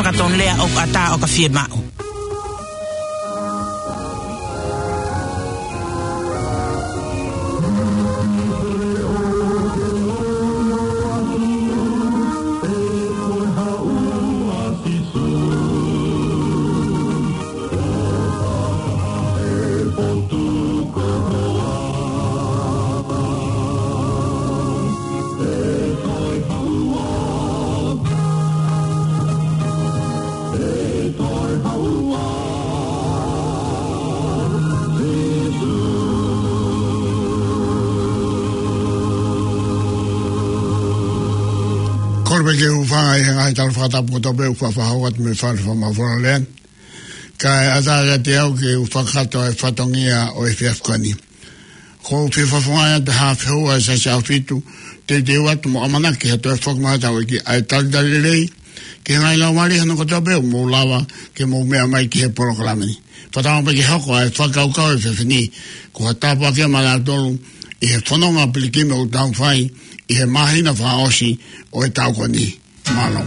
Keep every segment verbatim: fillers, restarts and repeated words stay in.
Ka tonu lea ʻoku ʻatā ʻo ka fiemaʻu. Kole pē ke u hūfanga ʻi he ngaahi tala fakatapu kotoa pē ʻoku faʻa fakahoko atu mei he Fale Fakamafola Lea ni. Kae ʻatā kiate au ke u fakahoko e fatongia ʻo e efiafi ko eni. Ko e fie fakafofongaʻi atu ha fehuʻi ʻa e Siasi ʻAhofitu, teuteu atu mo ʻamanaki ha toe foki mai ʻa e ʻEiki ʻa e talitali lelei ki he ngaahi laumālie hono kotoa pē ʻoku mou lava ke mou meʻa mai ki he polokalama ni. Fakatauange pē ke hoko ʻa e fakakaukau ʻo e efiafi ni ko ha tāpuaki maʻanautolu ʻi he fononga pilikimi ʻoku tau fai ʻi he māhina fakaʻosi ʻo e taʻu ko eni. Mālō.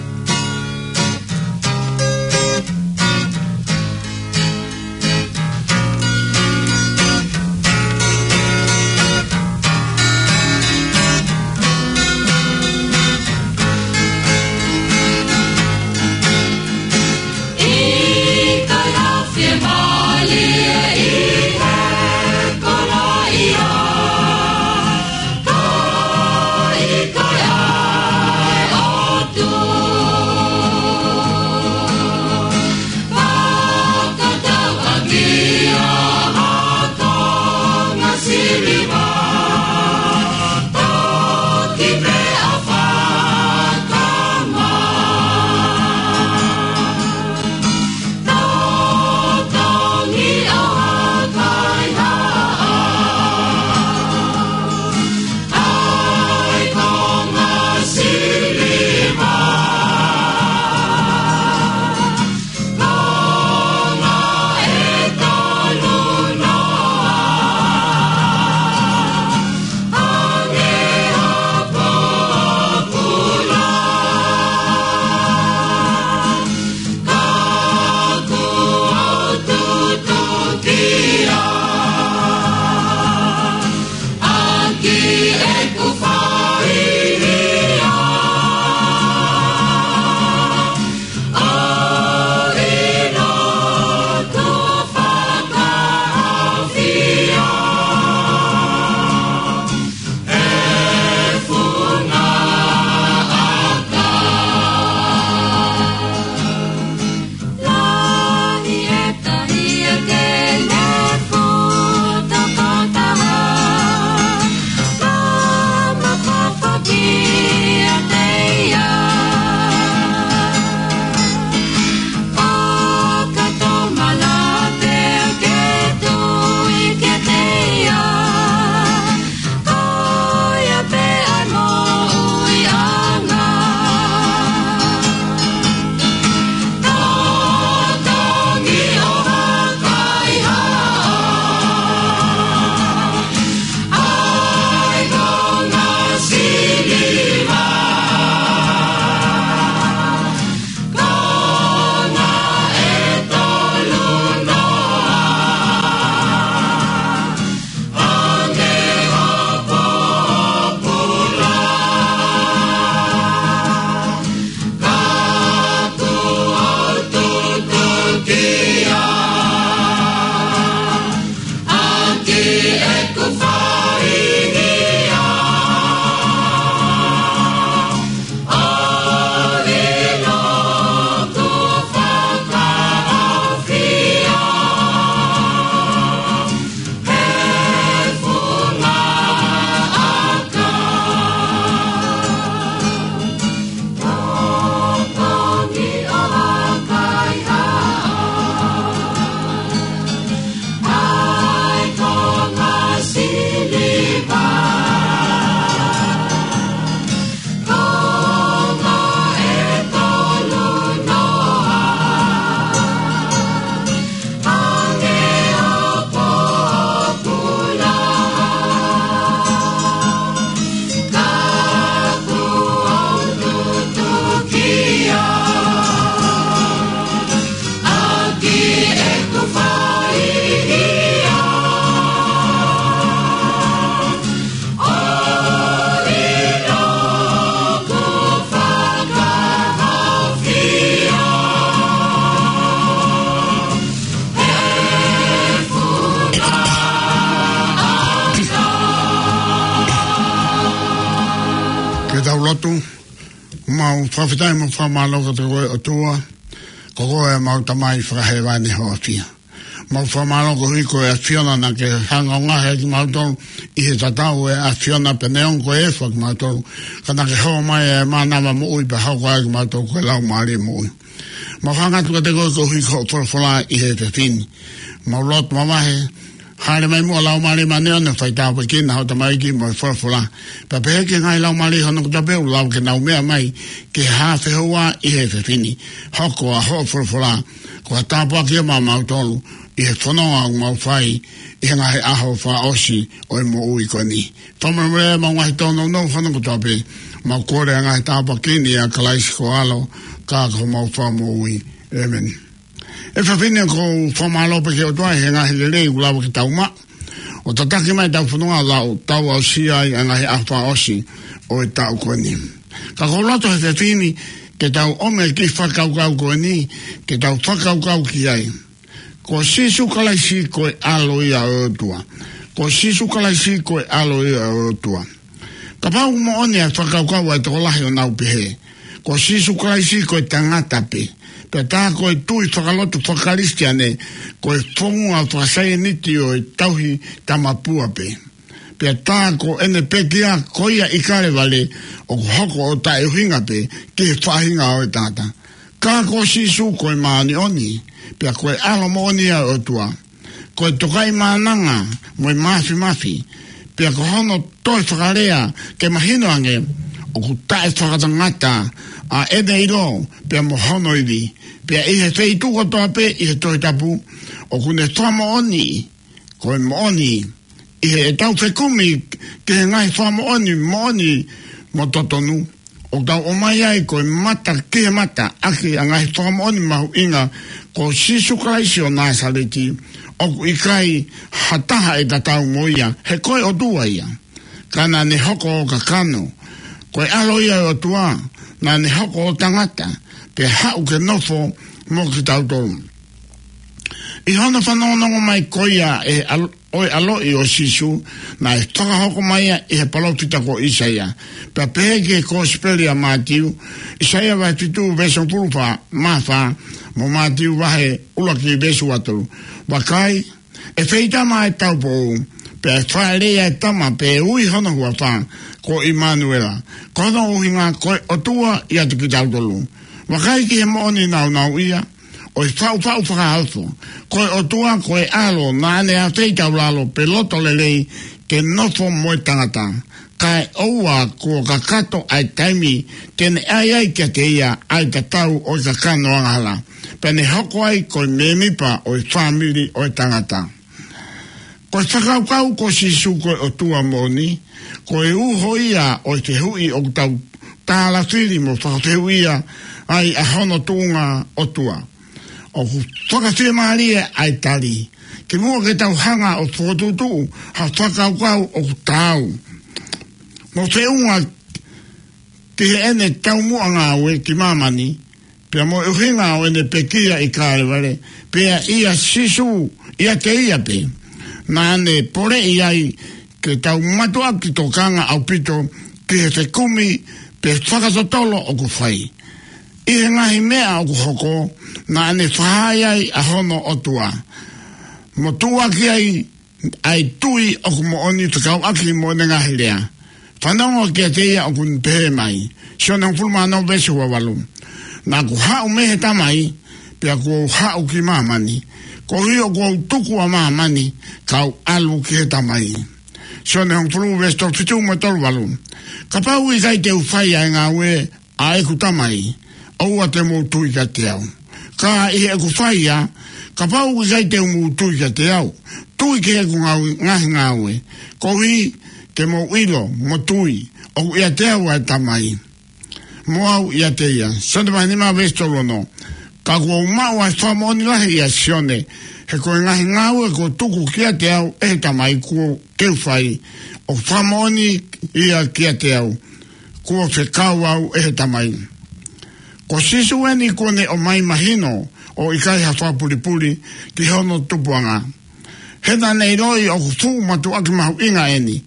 Fakafetaʻi mo fakamālō kiate koe ʻOtua, ko koe ʻemau Tamai fakahēvani hoʻo ʻafio. Mau fakamālō koeʻuhi ko e ʻAfiona naʻa ke hanga ʻo ngaohi kimautolu ʻi he tatau ʻo e ʻAfiona pea neongo ko e efu ʻa kimautolu, ka naʻa ke hō mai ʻa e mānava moʻui pea hoko ai kimautolu ko e laumālie moʻui. Mau hanga atu kiate koe koeʻuhi ko hoʻo folofola ʻi he efiafi ni. Mau lotu mavahe, hāʻele mai muʻa Laumālie Māʻoniʻoni ʻo fai tāpuekina hoʻo tamaiki mo e folofola. Pea pehē ki he ngaahi laumālie hono kotoa pē ʻoku lava ke nau meʻa mai ke hā fehoua ʻi he efiafi ni. Hoko ʻa hoʻo folofola ko ha tāpuaki ia maʻamautolu ʻi he fononga ʻoku mau fai ʻi he ngaahi ʻaho fakaʻosi ʻo e moʻui ko eni. Fakamolemole ʻemau ngaahi tōnounou hono kotoa pē. Mau kole ʻa e ngaahi tāpuaki ni ʻia Kalaisi ko ho ʻAlo, ka ko homau Fakamoʻui. ʻĒmeni. ʻE fafine, ʻoku ou fakamālō pē ki he ʻOtua he ngaahi lelei ʻoku lava ke tau maʻu ʻo tataki mai ʻetau fononga ʻo tau aʻusia ai ʻa e ngaahi ʻaho fakaʻosi ʻo e taʻu ko eni. Ka ʻoku ou loto he efiafi ni ke tau ʻomi e kiʻi fakakaukau ko eni, ke tau fakakaukau ki ai. Ko Sīsū Kalaisi ko e ʻAlo ia ʻo e ʻOtua. Ko Sīsū Kalaisi ko e ʻAlo ia ʻo e ʻOtua. Kapau ʻoku moʻoni ʻa e fakakaukau ʻa e tokolahi ʻoku nau pehē ko Sīsū Kalaisi ko e tangata pē, pea tā ko e tui fakalotu faka-Kalisitiane ko e founga fakasaienisi ʻo e tauhi tamapua pē, pea tā ko ʻene pekia ko ia ʻi Kalevale ʻoku hoko ʻo taʻeʻuhinga pē ki he faʻahinga ʻo e tangata. Ka ko Sīsū ko e māʻoniʻoni, pea ko e ʻAlo moʻoni ia ʻo e ʻOtua, ko e Tokaimaʻananga mo e Māfimafi, pea ko hono toe fakalea ke mahino ange ʻoku taʻefakatangata ʻa ʻene ʻilo pea mo hono ivi. Pea ʻi he feituʻu kotoa pē ʻi he Tohi Tapu ʻoku ne fakamoʻoni ko e moʻoni ʻi heʻetau fekumi ki he ngaahi fakamoʻoni moʻoni mo totonu, ʻoku tau ʻomai ai ko e mata ki he mata ʻaki ʻa e ngaahi fakamoʻoni mahuʻinga. Ko Sīsū Kalaisi ʻo Nāsaleti, ʻoku ʻikai ha taha ʻe tatau mo ia, he ko e ʻOtua ia. Ka naʻa ne hoko ʻo kakano, ko e ʻAlo ia ʻo e ʻOtua, naʻa ne hoko ʻo tangata, pea haʻu ke nofo mo kitautolu. ʻI hono fanongonongo mai ko ia ʻe ʻal-, ʻo e ʻaloʻi ʻo Sīsū, naʻe fakahoko mai ia ʻe he palōfita ko ʻĪsaia. Pea pehē ki he Kosipeli ʻa Mātiu, ʻĪsaia vahe fitu veesi hongofulu mā fā, mo Mātiu vahe ʻuluaki veesi uatolu. Vakai, ʻe feitama ʻa e taupoʻou, pea ʻe fāʻeleʻi ʻa e tama, pea ʻe ui hono huafa ko ʻImanuela. Ko hono ʻuhinga ko e ʻOtua ʻiate kitautolu. Vakai ki he moʻoni nāunauʻia ʻo e faʻufaʻu fakaofo. Ko e ʻOtua ko e ʻAlo naʻa ne ʻafeitaulalo pe loto lelei ke nofo mo e tangata. Kae ʻoua kuo kakato ʻa e taimi te ne ʻai ai kiate ia ʻa e tatau ʻo e kakano angahala, pea ne hoko ai ko e mēmipa ʻo e fāmili ʻo e tangata. Ko e fakakaukau ko Sīsū ko e ʻOtua moʻoni, ko e uho ia ʻo e fehuʻi ʻoku tau tālafili mo fakafehuʻia ai ʻa hono tuʻunga ʻOtua. ʻOku fakafiemālie ʻa e tali, kimuʻa ke tau hanga ʻo fokotuʻutuʻu ha fakakaukau ʻoku taau mo feʻunga ki heʻene taumuʻa ngāue ki māmani, pea mo e ʻuhinga ʻo ʻene pekia ʻi Kalevale, pea ʻia Sīsū, ʻiate ia pē naʻa ne poleʻi ai ke tau mātuʻaki tokanga ʻaupito ki he fekumi pe fakatotolo ʻoku fai. ʻI he ngaahi meʻa ʻoku hoko, naʻa ne fakahā ai ʻa hono ʻOtua, mo tuʻuaki ai ʻa e tui ʻoku moʻoni fekauʻaki mo ʻene ngaahi lea. Fanongo kiate ia ʻoku ne pehē mai, Sione hongofulu mā ono veesi ua valu: Naʻa ku haʻu mei he Tamai, pea kuo u haʻu ki māmani. Koeʻuhi ʻoku ou tuku ʻa māmani, kau ʻalu ki he Tamai. Sione hongofulu veesi tolu fitu mo e tolu valu: Kapau ʻoku ʻikai te u fai ʻa e ngāue ʻa ʻeku Tamai, ʻoua te mou tui kiate au. Ka ʻi heʻeku fai ia, kapau ʻoku ʻikai te mou tui kiate au, tui ki heʻeku ngāu-, ngaahi ngāue, koeʻuhi ke mou ʻilo mo tui ʻoku ʻiate au ʻa e Tamai, mo au ʻiate ia. Sione vahe nima veesi tolu ono: Ka kuo u maʻu ʻa e fakamoʻoni lahi ʻia Sione, he ko e ngaahi ngāue kuo tuku kiate au ʻe he Tamai kuo u fai, ʻoku fakamoʻoni ia kiate au, kuo fekau au ʻe he Tamai. Ko Sīsū eni kuo ne ʻomai mahino ʻo ʻikai ha fakapulipuli ki hono tupuʻanga. He naʻa ne ʻiloʻi ʻoku fuʻu mātuʻaki mahuʻinga eni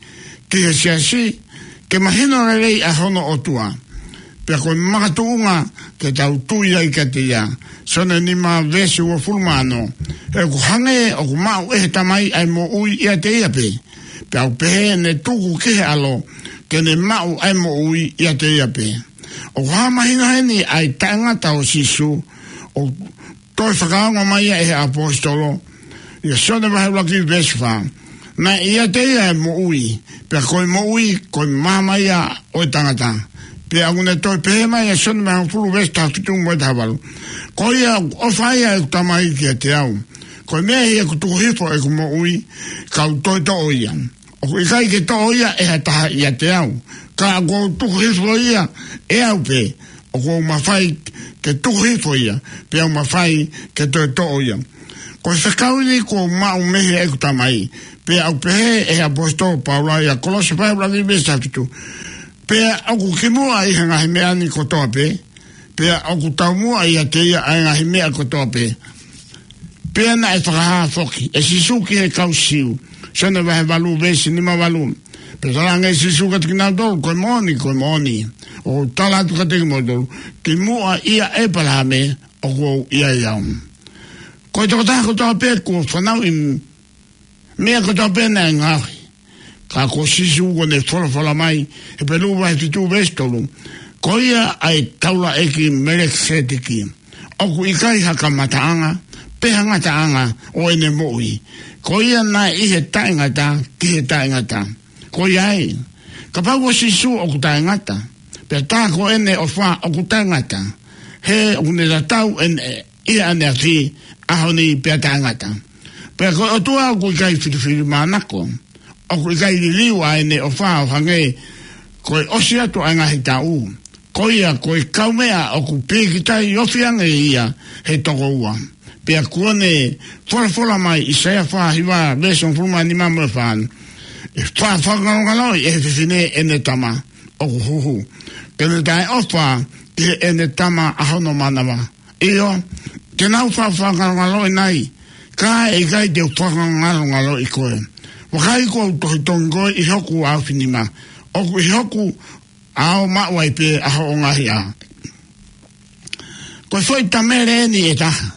ki he siasi ke mahino lelei ʻa hono ʻOtua. pea ko e makatuʻunga ke tau tui ai kiate ia. Sione nima veesi uofulu mā ono. He ʻoku hangē ʻoku maʻu ʻe he Tamai ʻa e moʻui ʻiate ia pē, pea ʻoku pehē ʻene tuku ki he ʻAlo, ke ne maʻu ʻa e moʻui ʻiate ia pē. ʻOku hā mahino heni ʻa e taʻengata ʻo Sīsū, ʻo toe fakaongo mai ia ʻe he ʻaposetolo, ʻia Sione vahe ʻuluaki veesi fā. Naʻe ʻiate ia ʻa e moʻui, pea ko e moʻui, ko e maama ia ʻo e tangata. Pea ʻoku ne toe pehē mai ʻia Sione vahe hongofulu veesi taha fitu mo e taha valu. Ko ia ʻoku ʻofa ai ʻeku Tamai kiate au, ko e meʻa ia ʻoku tuku hifo ʻeku moʻui, kau toe toʻo ia. ʻOku ʻikai ke toʻo ia ʻe ha taha ʻiate au, ka ʻoku ou tuku hifo ia ʻe au pē, ʻoku ou mafai ke tuku hifo ia, pea u mafai ke toe toʻo ia. Ko e fekau ni kuo u maʻu mei heʻeku Tamai, pea ʻoku pehē ʻe he ʻaposetolo Paula ʻia Kolose vahe ʻuluaki veesi taha fitu. Pea ʻoku kimuʻa ʻi he ngaahi meʻa ni kotoa pē, pea ʻoku taumuʻa ʻiate ia ʻa e ngaahi meʻa kotoa pē. Pea naʻe fakahā foki ʻe Sīsū ki he kau Siu, Sione vahe valu veesi nima valu. Pea talaange ʻe Sīsū kiate kinautolu, ko e moʻoni, ko e moʻoni, ʻoku ou tala atu kiate kimoutolu, kimuʻa ʻia ʻĒpalahame ʻoku ou ʻi ai au. Ko e tokotaha kotoa pē kuo fanauʻi meʻa kotoa pē naʻe ngaohi. Ka ko Sīsū kuo ne folofola mai, Hepelū vahe fitu veesi tolu, ko ia ʻa e taulaʻeiki Melekiseteki. ʻOku ʻikai ha kamataʻanga pe ha ngataʻanga ʻo ʻene moʻui. Ko ia naʻe ʻi he taʻengata ki he taʻengata. Ko ia ai, kapau ko Sīsū ʻoku taʻengata, pea tā ko ʻene ʻofa ʻoku taʻengata, he ʻoku ne tatau ʻene ʻi ʻaneafi, ʻaho ni pea taʻengata. Pea ko e ʻOtua ʻoku ʻikai filifilimānako, ʻoku ʻikai liliu ʻa ʻene ʻofa ʻo hangē ko e ʻosi atu ʻa e ngaahi taʻu. Ko ia ko e kaumeʻa ʻoku pīkitai ofi ange ia he tokoua. Pea kuo ne folofola mai ʻi ʻAisea fā hiva veesi hongofulu mā nima mo e fā. ʻE fakangalongaloʻi ʻe he fefine ʻene tama ʻoku huhu, ke ne taʻeʻofa ki heʻene tama ʻa hono manava. ʻIo, te nau fakangalongaloʻi nai, ka ʻe ʻikai te u fakangalongaloʻi koe. Vakai kuo u tohitongi koe ʻi hoku ʻaofinima, ʻoku ʻi hoku ʻao maʻu ai pē ʻa hoʻo ngaahi ʻā. Ko e foʻi tamele eni ʻe taha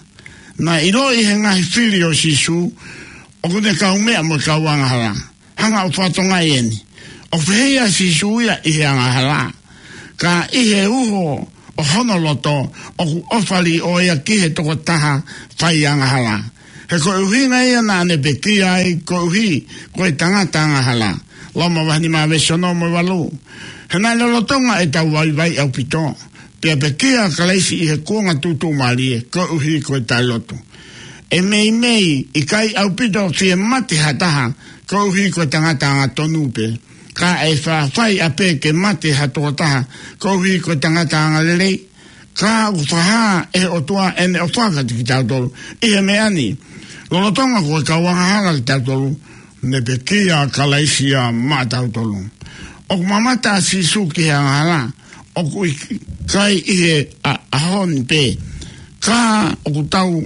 naʻe ʻiloʻi ʻe he ngaahi fili ʻo Sīsū ʻoku ne kaumeʻa mo e kau angahala. Hanga ʻo fakatokangaʻi eni. ʻOku fehiʻa ʻa Sīsū ia ʻi he angahala, ka ʻi he uho ʻo hono loto ʻoku ʻofa liʻoa ia ki he tokotaha fai angahala. He ko e ʻuhinga ia naʻa ne pekia ai koeʻuhi ko e tangata angahala. Loma vahe nima veesi ono mo e valu. He naʻe lolotonga ʻetau vaivai ʻaupito, pea pekia ʻa Kalaisi ʻi he kuonga tuʻutuʻumālie koeʻuhi ko e taʻelotu. ʻE meimei ʻikai ʻaupito fie mate ha taha koeʻuhi ko e tangata angatonu pē, ka ʻe faʻa fai ʻapē ke mate ha tokotaha koeʻuhi ko e tangata angalelei. Ka ʻoku fakahā ʻe he ʻOtua ʻene ʻofa kiate kitautolu ʻi he meʻa ni. Lolotonga ko e kau angahala kitautolu, ne pekia ʻa Kalaisi ia maʻatautolu. ʻOku mamata ʻa Sīsū ki he angahala, ʻoku ʻikai ʻi he ʻa-, ʻaho ni pē, ka ʻoku tau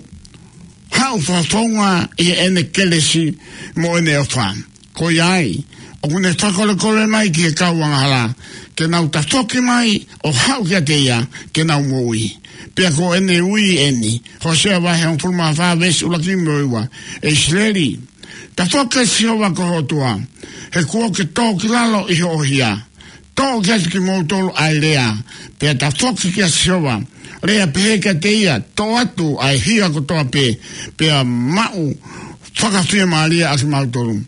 haʻu fakafounga ʻi heʻene kelesi mo ʻene ʻofa. Ko ia ai, ʻoku ne fakakolekole mai ki he kau angahala, ke nau tafoki mai ʻo haʻu kiate ia, ke nau moʻui. Pea ko ʻene ui eni, Hōsea vahe hongofulu mā fā veesi ʻuluaki mo e ua. ʻE ʻIsileli, tafoki kia Sihova ko ho ʻOtua, he kuo ke tō ki lalo ʻi hoʻo hia. Toʻo kiate kimoutolu ʻa e lea, pea tafoki kia Sihova, lea pehē kiate ia, toʻo atu ʻa e hia kotoa pē, pea maʻu fakafiemālie ʻa kimautolu.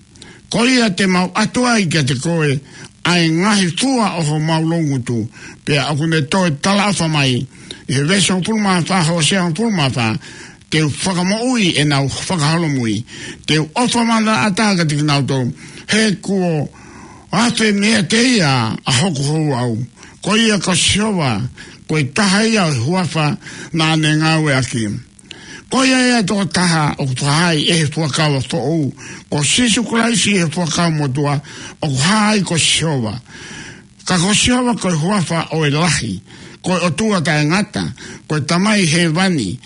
Ko ia te mau ʻatu ai kiate koe ʻa e ngaahi fua ʻo homau loungutu. Pea ʻoku ne toe talaʻofa mai ʻi he veesi hongofulu mā fā, Hōsea hongofulu mā fā, te u fakamoʻui ʻenau fakaholomui, te u ʻofa manaʻata kiate kinautolu, he kuo afe meiate ia ʻa hoku houʻau. Ko ia ko Sihova, ko e taha ia ʻo e huafa naʻa ne ngāueʻaki. Ko ia ia tokotaha ʻoku fakahā ʻe he fuakava foʻou, ko Sīsū Kalaisi ʻi he fuakava motuʻa, ʻoku hā ai ko Sihova. Ka ko Sihova ko e huafa ʻo e lahi, ko e ʻOtua taʻengata, ko e Tamai hēvani.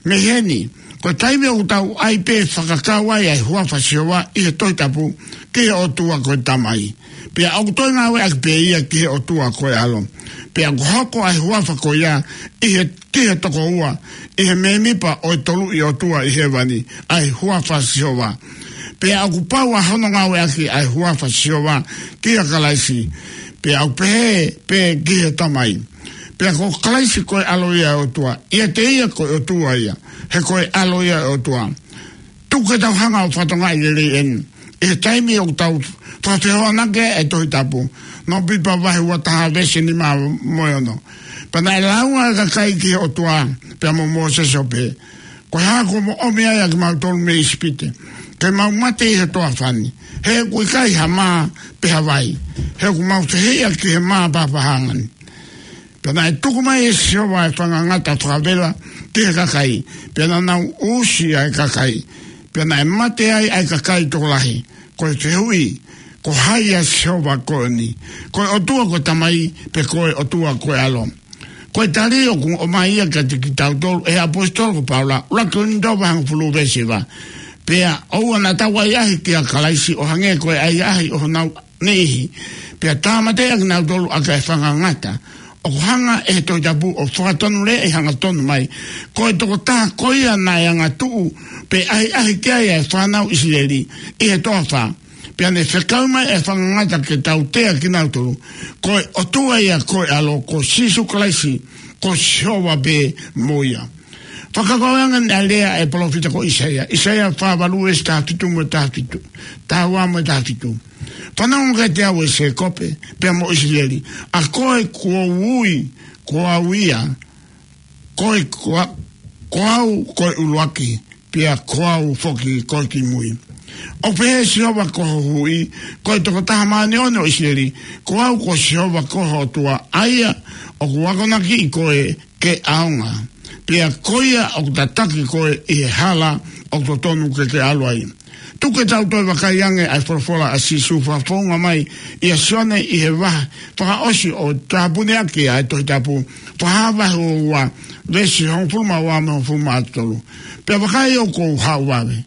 Mei heni, Ko e taimi ʻoku tau ʻai pē fakakau ai ʻa e huafa Sihova ʻi he Tohi Tapu ki he ʻOtua ko e Tamai. Pea ʻoku toe ngāueʻaki pē ia ki he ʻOtua ko e ʻAlo. Pea ʻoku hoko ʻa e huafa ko ia ʻi he, ki he tokoua, ʻi he mēmipa ʻo e Toluʻi ʻOtua ʻi hēvani, ʻa e huafa Sihova. Pea ʻoku pau ʻa hono ngāueʻaki ʻa e huafa Sihova kia Kalaisi. Pea ʻoku pehē pē ki he Tamai. Pea ko Kalaisi ko e ʻAlo ia ʻo e ʻOtua, ʻiate ia ko e ʻOtua ia, he ko e ʻAlo ia ʻo e ʻOtua. Tuku ke tau hanga ʻo fakatokangaʻi lelei eni. ʻI he taimi ʻoku tau fakafehoanaki ai e Tohi Tapu. Nōmipa vahe ua taha veesi nima mo e ono. Pea naʻe lāunga ʻa e kakai ki he ʻOtua, pea mo Mōsese ʻo pehē, Ko e hā kuo mo ʻomi ai ʻa kimautolu mei ʻIsipite, ke mau mate ʻi he toafa ni? He ʻoku ʻikai ha mā pe ha vai. He ʻoku mau fehiʻa ki he mā pāpāhanga ni. Pea naʻe tuku mai ʻe Sihova ʻa e fanga ngata fakavela ki he kakai. Pea naʻa nau usi ʻa e kakai. Pea naʻe mate ai ʻa e kakai tokolahi. Ko e fehuʻi, ko hai ʻa Sihova ko eni? Ko e ʻOtua ko e Tamai, pe ko e ʻOtua ko e ʻAlo? Ko e tali ʻoku ʻomai ia kiate kitautolu ʻe he ʻaposetolo ko Paula, ʻuluaki Kolinitō vahe hongofulu veesi hiva. Pea ʻoua naʻa tau ʻahiʻahi kia Kalaisi ʻo hangē ko e ʻahiʻahi ʻo honau niʻihi, pea tāmateʻi ʻa kinautolu ʻaki ʻa e fanga ngata. ʻOku hanga ʻe he Tohi Tapu ʻo fakatonuleaʻi hangatonu mai, ko e tokotaha ko ia naʻe angatuʻu pe ʻahiʻahi ki ai ʻa e fānau ʻIsileli ʻi he toafa. Pea ne fekau mai ʻa e fanga ngata ke tautea kinautolu. Ko e ʻOtua ia ko e ʻAlo, ko Sīsū Kalaisi, ko Sihova pē mo ia. Fakakaukau ange ʻa e lea ʻa e palōfita ko ʻIsaia. ʻIsaia fā valu veesi taha fitu mo e taha fitu. Taha ua mo e taha fitu. Fanongo kiate au ʻe Sēkope, pea mo ʻIsileli. ʻA koe kuo u ui, ko au ia. Ko e, ko a-, ko au ko e ʻuluaki, pea ko au foki ko e kimui. ʻOku pehē ʻe Sihova ko ho Huhuʻi, ko e Tokotaha Māʻoniʻoni ʻo ʻIsileli, ko au ko Sihova ko ho ʻOtua, ʻa ia ʻoku akonakiʻi koe ke ʻaonga. Pea ko ia ʻoku tataki koe ʻi he hala ʻoku totonu ke ke ʻalu ai. Tuku ke tau toe vakai ange ʻa e folofola ʻa Sīsū fakafounga mai ʻia Sione ʻi he vahe fakaʻosi ʻo tāpuneʻaki ʻa e Tohi Tapu, Fakahā vahe ua ua, veesi hongofulu mā ua mo e hongofulu mā tolu. Pea vakai ʻoku ou haʻu vave.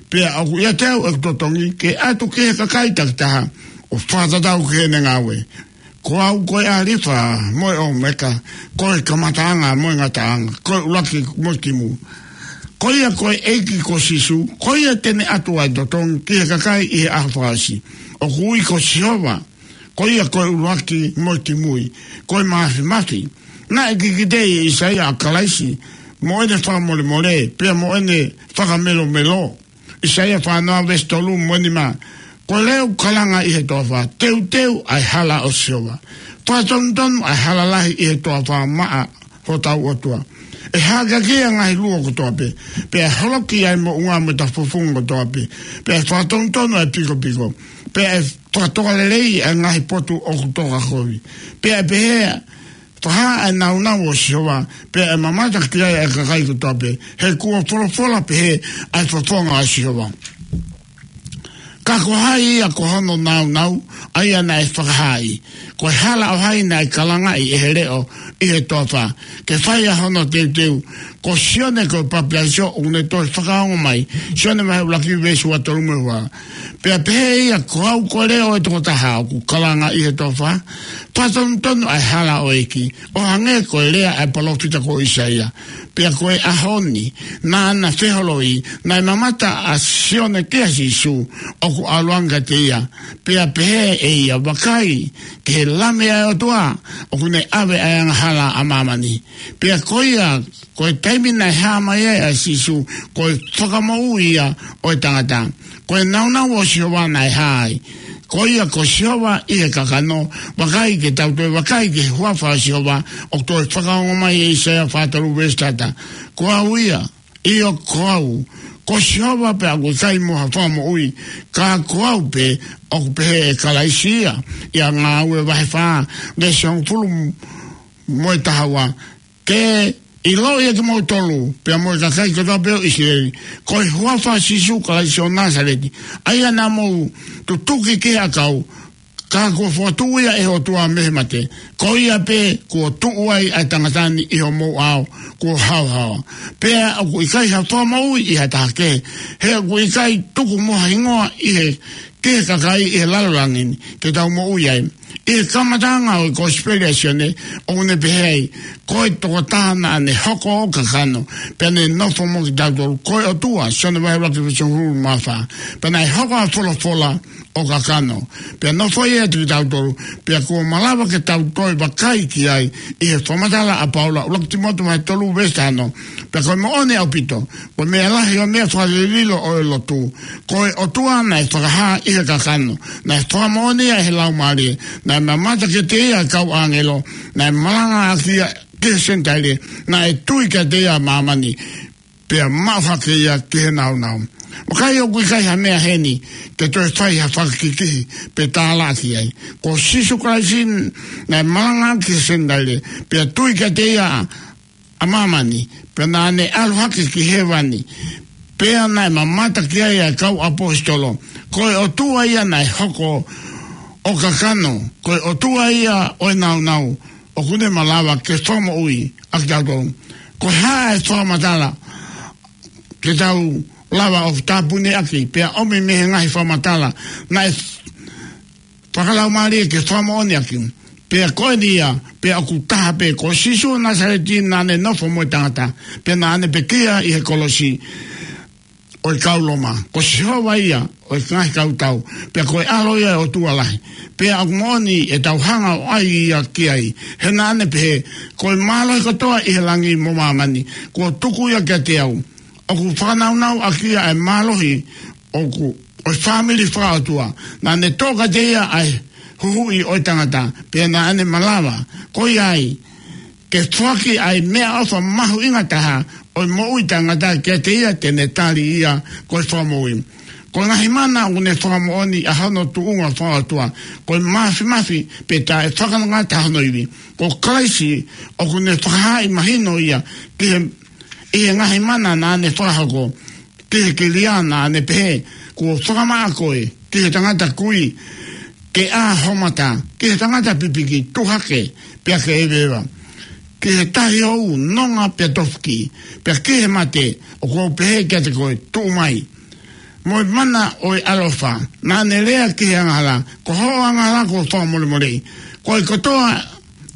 Pea ʻoku ʻiate au ʻeku totongi ke ʻatu ki he kakai takitaha ʻo fakatatau ki heʻene ngāue. Ko au ko e ʻAlifa mo e ʻOmeka, ko e kamataʻanga mo e ngataʻanga, ko e ʻuluaki mo e kimui. Ko ia ko e ʻEiki ko Sīsū, ko ia te ne ʻatu ʻa e totongi ki he kakai ʻi he ʻaho fakaʻosi. ʻOku ui ko Sihova, ko ia ko e ʻuluaki mo e kimui, ko e Māfimafi. Naʻe kikiteʻi ʻe ʻIsaia ʻa Kalaisi, mo ʻene fakamolemole, pea mo ʻene fakamelomelo. ʻIsaia fā noa veesi tolu mo e nima. Ko e leʻo ʻoku kalanga ʻi he toafa, teuteu ʻa e hala ʻo Sihova. Fakatonutonu ʻa e hala lahi ʻi he toafa maʻa hotau ʻOtua. ʻE hākeakiʻi ʻa e ngaahi luo kotoa pē, pea ʻe holoki ʻa e moʻunga mo e tafufunga kotoa pē, pea ʻe fakatonutonu ʻa e pikopiko, pea ʻe fakatokalelei ʻa e ngaahi potu ʻoku tokakovi. Pea ʻe pehē, Fakahā ʻa e nāunau ʻo Sihova, pea ʻe mamata ki ai ʻa e kakai kotoa pē, he kuo folofola pehē ʻa e fofonga ʻo Sihova. Ka ko hai ia ko hono nāunau, ʻa ia naʻe fakahā ai? Ko e hala ʻo hai naʻe kalangaʻi ʻe he leʻo ʻi he toafa, ke fai ʻa hono teuteu? Ko Sione ko e Papitaiso ʻoku ne toe fakaongo mai, Sione vahe ʻuluaki veesi ua tolu mo e ua. Pea pehē ia, ko au ko e leʻo ʻo e tokotaha ʻoku kalanga ʻi he toafa, fakatonutonu ʻa e hala ʻo e ʻEiki, ʻo hangē ko e lea ʻa e palōfita ko ʻIsaia. Pea ko e ʻaho ni, naʻa na feholoi, naʻe mamata ʻa Sione kia Sīsū, ʻoku ʻalu ange kiate ia. Pea pehē ʻe ia, Vakai, ki he Lami ʻa e ʻOtua, ʻoku ne ʻave ʻa e angahala ʻa māmani. Pea ko ia, ko e taimi naʻe hā mai ai ʻa Sīsū, ko e Fakamoʻui ia ʻo e tangata. Ko e nāunau ʻo Sihova naʻe hā ai. Ko ia ko Sihova ʻi he kakano, vakai, ke tau toe vakai ki he huafa ʻo Sihova, ʻoku toe fakaongo mai ʻe ʻIsaia fā tolu veesi taha taha. Ko au ia, ʻio ko au, ko Sihova pea ʻoku ʻikai mo ha fakamoʻui, ka ko au pē, ʻoku pehē ʻe Kalaisi ia, ʻia Ngāue vahe fā, veesi hongofulu mo e taha ua, Ke ʻiloʻi ʻe kimoutolu, pea mo e kakai kotoa pē ʻo ʻIsileli, ko e huafa ʻo Sīsū Kalaisi ʻo Nāsaleti, ʻa ia naʻa mou tutuki ki he ʻakau, Ka kuo fokotuʻu ia ʻe he ʻOtua mei he mate, ko ia pē kuo tuʻu ai ʻa e tangata ni ʻi homou ʻao kuo haohaoa. Pea ʻoku ʻikai ha fakamoʻui ʻi ha taha kehe, he ʻoku ʻikai tuku mo ha hingoa ʻi he, ki he kakai ʻi he lalo langi ni, ke tau moʻui ai. ʻI he kamataʻanga ʻo e Kosipeli ʻa Sione, ʻoku ne pehē ai, ko e tokotaha naʻa ne hoko ʻo kakano, pea ne nofo mo kitautolu, ko e ʻOtua, Sione vahe ʻuluaki veesi hongofulu mā fā. Pea naʻe hoko ʻa e folofola ʻo kakano, pea nofo ia ʻiate kitautolu, pea kuo malava ke tau toe vakai ki ai, ʻi he fakamatala ʻa Paula, ʻuluaki Tīmote vahe tolu veesi taha ono. Pea ko e moʻoni ʻaupito, ko e meʻa lahi ʻo e meʻa fakalililo ʻo e lotu, ko e ʻOtua naʻe fakahā ʻi he kakano, naʻe fakamoʻoni ia ʻe he Laumālie, naʻe mamata kiate ia ʻa e kau ʻāngelo, naʻe malanga ʻaki ia ki he Senitaile, naʻe tui kiate ia ʻa māmani, pea maʻu hake ia ki he nāunau. Vakai, ʻoku ʻikai ha meʻa heni ke toe fai ha fakakikihi pe tālaʻaki ai. Ko Sīsū Kalaisi naʻe malanga ki he Senitaile, pea tui kiate ia ʻa māmani, pea naʻa ne ʻalu hake ki hēvani, pea naʻe mamata ki ai ʻa e kau ʻaposetolo. Ko e ʻOtua ia naʻe hoko ʻo kakano, ko e ʻOtua ia ʻo e nāunau, ʻoku ne malava ke fakamoʻui ʻa kitautolu. Ko e hā e fakamatala ke tau lava ʻo tāpuni ʻaki, pea ʻomi mei he ngaahi fakamatala naʻe fakalaumālie ke fakamoʻoni ʻaki? Pea ko eni ia, pea ʻoku taha pē, ko Sīsū Nāsaleti naʻa ne nofo mo e tangata, pea naʻa ne pekia ʻi he kolosi ʻo e kau Loma. Ko Sihova ia ʻo e ngaahi kautau, pea ko e ʻAlo ia ʻo e ʻOtua lahi. Pea ʻoku moʻoni ʻetau hanga ʻo ʻai ia ki ai, he naʻa ne pehē, ko e mālohi kotoa ʻi he langi mo māmani kuo tuku ia kiate au. ʻOku fakanaunau ʻaki ia ʻa e mālohi ʻoku, ʻo e fāmili fakaʻotua. Naʻa ne toʻo kiate ia ʻa e huhuʻi ʻo e tangata, pea naʻa ne malava, ko ia ai, ke foaki ʻa e meʻaʻofa mahuʻinga taha ʻo e moʻui taʻengata kiate ia te ne tali ia ko e fakamoʻui. Ko e ngaahi mana ʻoku ne fakamoʻoni ʻa hono tuʻunga fakaʻotua, ko e māfimafi pea taʻefakangatangata hono ivi. Ko Kalaisi ʻoku ne fakahaaʻi mahino ia ki he, ʻi he ngaahi mana naʻa ne fakahoko, ki he kilia naʻa ne pehē, kuo fakamaʻa koe ki he tangata kui, ke ʻā ho mata, ki he tangata pipiki, tuʻu hake, pea ke ʻeveʻeva, ki he tahi hou, nonga pea tofuki, pea ki he mate, ʻoku ou pehē kiate koe, tuʻu mai. Mo e mana ʻo e ʻaloʻofa, naʻa ne lea ki he angahala, ko hoʻo angahala kuo fakamolemoleʻi. Ko e kotoa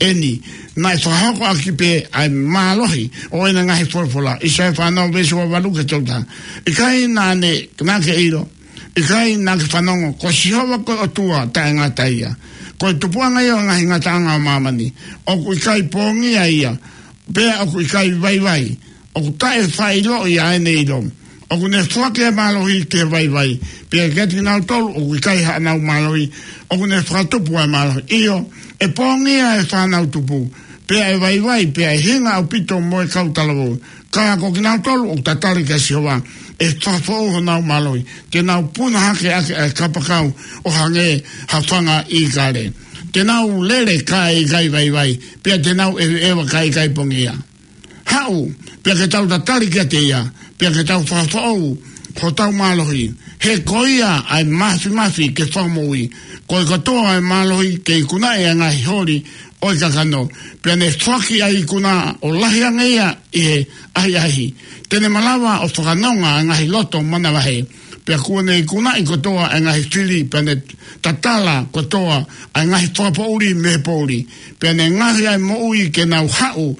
eni, naʻe fakahoko ʻaki pē ʻa e mālohi ʻo ʻena ngaahi folofola. ʻAisea fā ono veesi ua valu ki he tolu taha. ʻIkai naʻa ne, naʻa ke ʻilo, ʻikai naʻa ke fanongo, ko Sihova ko e ʻOtua taʻengata ia, ko e tupuʻanga ia ʻo e ngaahi ngataʻanga ʻo māmani. ʻOku ʻikai pongia ia, pea ʻoku ʻikai vaivai, ʻoku taʻefaʻailoʻi ʻa ʻene ʻilo. ʻOku ne foaki ʻa e mālohi ki he vaivai, pea kiate kinautolu ʻoku ʻikai haʻanau mālohi, ʻoku ne fakatupu ʻa e mālohi. ʻIo, ʻe pongia ʻa e fānau tupu, pea ʻe vaivai, pea ʻe hinga ʻaupito mo e kau talavou. Ka ko kinautolu ʻoku tatali kia Sihova, ʻe fakafoʻou honau mālohi, te nau puna hake ʻaki ʻa e kapakau ʻo hangē ha fanga ʻīkale. Te nau lele kae ʻikai vaivai, pea te nau ʻeveʻeva kae ʻikai pongia. Haʻu, pea ke tau tatali kiate ia, pea ke tau fakafoʻou hotau mālohi. He ko ia ʻa e māfimafi ke fakamoʻui, ko e kotoa ʻa e mālohi ke ikunaʻi ʻa e ngaahi holi ʻo e kakano, pea ne foaki ʻa e ikuna ʻo lahi ange ia ʻi he ʻahiʻahi. Te ne malava ʻo fakanonga ʻa e ngaahi loto manavahē, pea kuo ne ikunaʻi kotoa ʻa e ngaahi fili, pea ne tatala kotoa ʻa e ngaahi fakapoʻuli mei he poʻuli, pea ne ngaohi ʻa e moʻui ke nau haʻu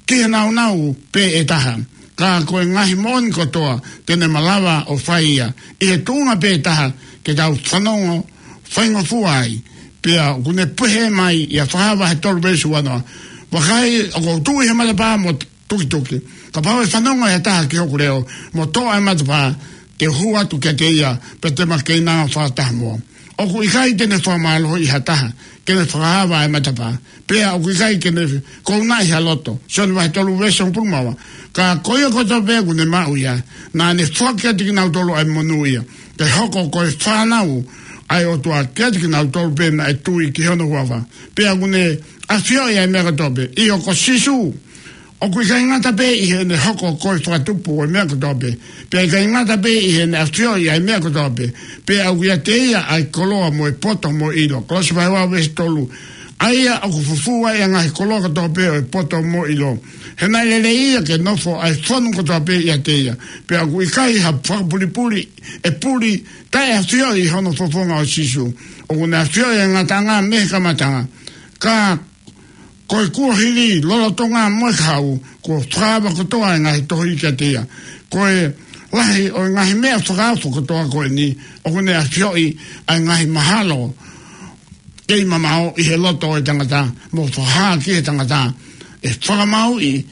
ki he nāunau pē ʻe taha. Ka ko e ngaahi moʻoni kotoa te ne malava ʻo fai ia ʻi he tuʻunga pē ʻe taha ke tau fanongo faingofua ai. Pea ʻoku ne pehē mai ʻia Fakahā vahe tolu veesi ua noa, vakai, ʻoku ou tuʻu ʻi he matapā mo tukituki. Kapau ʻe fanongo ʻe ha taha ki hoku leʻo, mo toʻo ʻa e matapā, te u hū atu kiate ia, pea te ma keinanga fakataha mo ia. ʻOku ʻikai te ne fakamālohiʻi ha taha ke ne fakaava ʻa e matapā, pea ʻoku ʻikai ke ne kounaʻi ha loto. Sione vahe tolu veesi hongofulu mā ua. Ka ko ia kotoa pē ʻoku ne maʻu ia, naʻa ne foaki kiate kinautolu ʻa e monū ia, ke hoko ko e fānau ʻa e ʻOtua kiate kinautolu pē naʻe tui ki hono huafa. Pea ʻoku ne ʻafioʻi ʻa e meʻa kotoa pē. ʻIo, ko Sīsū ʻOku ʻikai ngata pē ʻi heʻene hoko ko e fakatupu ʻo e meʻa kotoa pē, pea ʻikai ngata pē ʻi heʻene ʻafioʻi ʻa e meʻa kotoa pē, pea ʻoku ʻiate ia ʻa e koloa mo e poto mo e ʻilo. Kolose vahe ua veesi tolu. ʻA ia ʻoku fufū ai ʻa e ngaahi koloa kotoa pē ʻo e poto mo e ʻilo. He naʻe lelei ia ke nofo ʻa e fonu kotoa pē ʻiate ia. Pea ʻoku ʻikai ha fakapulipuli ʻe puli taʻeʻafioʻi hono fofonga ʻo Sīsū. ʻOku ne ʻafioʻi ʻa e ngataʻanga mei he kamataʻanga. Ka ko e kuohili, lolotonga mo e kahaʻu, kuo fakaava kotoa ʻa e ngaahi tohi kiate ia. Ko e lahi ʻo e ngaahi meʻa fakaofo kotoa ko eni, ʻoku ne ʻafioʻi ʻa e ngaahi mahalo kei mamaʻo ʻi he loto ʻo e tangata, mo fakahā ki he tangata ʻe fakamāuʻi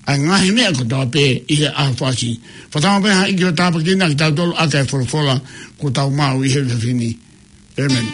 ʻa e ngaahi meʻa kotoa pē ʻi he ʻaho fasi. Fakatauange pē ha ʻEiki ʻo tāpuekina kitautolu ʻaki ʻa e folofola kuo tau maʻu ʻi he efiafi ni. ʻĒmeni.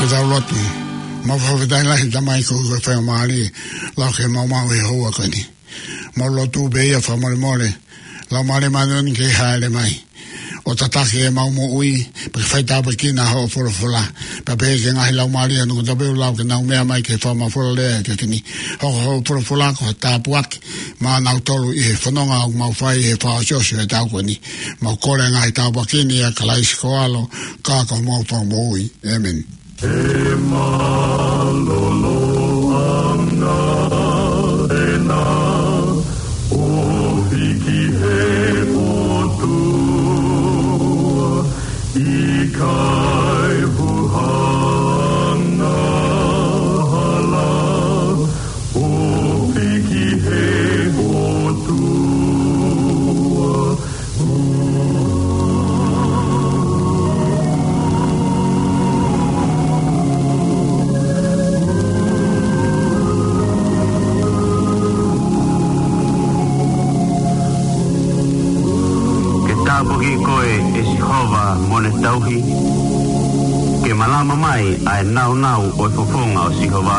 Ke tau lotu. Mau fakafetaʻi lahi Tamai koeʻuhi ko e faingamālie lau ke mau maʻu he houa ko eni. Mau lotu pē ia fakamolemole. Laumālie Māʻoniʻoni ke hāʻele mai ʻo tataki ʻemau moʻui, pea ke faitāpuekina hoʻo folofola. Pea pehē ki he ngaahi laumālie ʻo e ʻaho kotoa pē ʻoku lau ke nau meʻa mai ke fakamafola lea he efiafi ni. Hoko hoʻo folofola ko ha tāpuaki maʻa kinautolu ʻi he fononga ʻoku mau fai he fakaʻosiʻosi ʻo e taʻu ko eni. Mau kole ngaahi tāpuaki ni ʻia Kalaisi ko ho ʻAlo, ka ko homau Fakamoʻui. ʻĒmeni. ʻE mālōlō ʻa e ʻOtua ʻi he ʻOtua, ʻikai huhanga hala ʻo piki he ʻOtua. Ke tāpuaki koe ʻe Sihova mo ne tauhi, ke malama mai ʻa e nāunau ʻo e fofonga ʻo Sihova,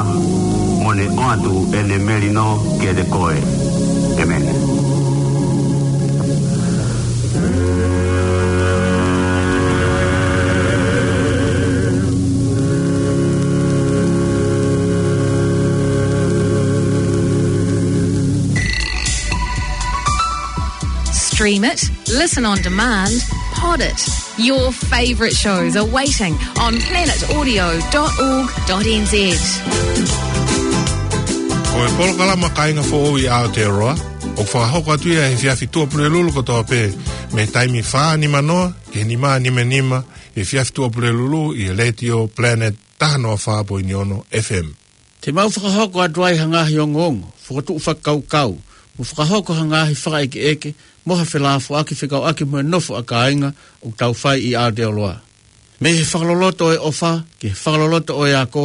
mo ne ʻoatu ʻene melino kiate koe. ʻĒmeni. Stream it, listen on demand, pod it. Your favourite shows are waiting on planet audio dot org dot N Z. Ko e polokalama Kāinga Foʻou ʻi Aotearoa, ʻoku fakahoko atu ia he efiafi Tuʻapulelulu kotoa pē, mei he taimi fā nima noa ki he nima nima nima, he efiafi Tuʻapulelulu ʻi he Letiō Planet taha noa fā poini ono F M. Te mau fakahoko atu ai ha ngaahi ongoongo, fokotuʻu fakakaukau, mo fakahoko ha ngaahi fakaʻekeʻeke mo ha felāfoaki fekauʻaki mo e nofo ʻa kāinga ʻoku tau fai ʻi Aotearoa. Mei he fakaloloto ʻo e ʻofa ki he fakaloloto ʻo e ako,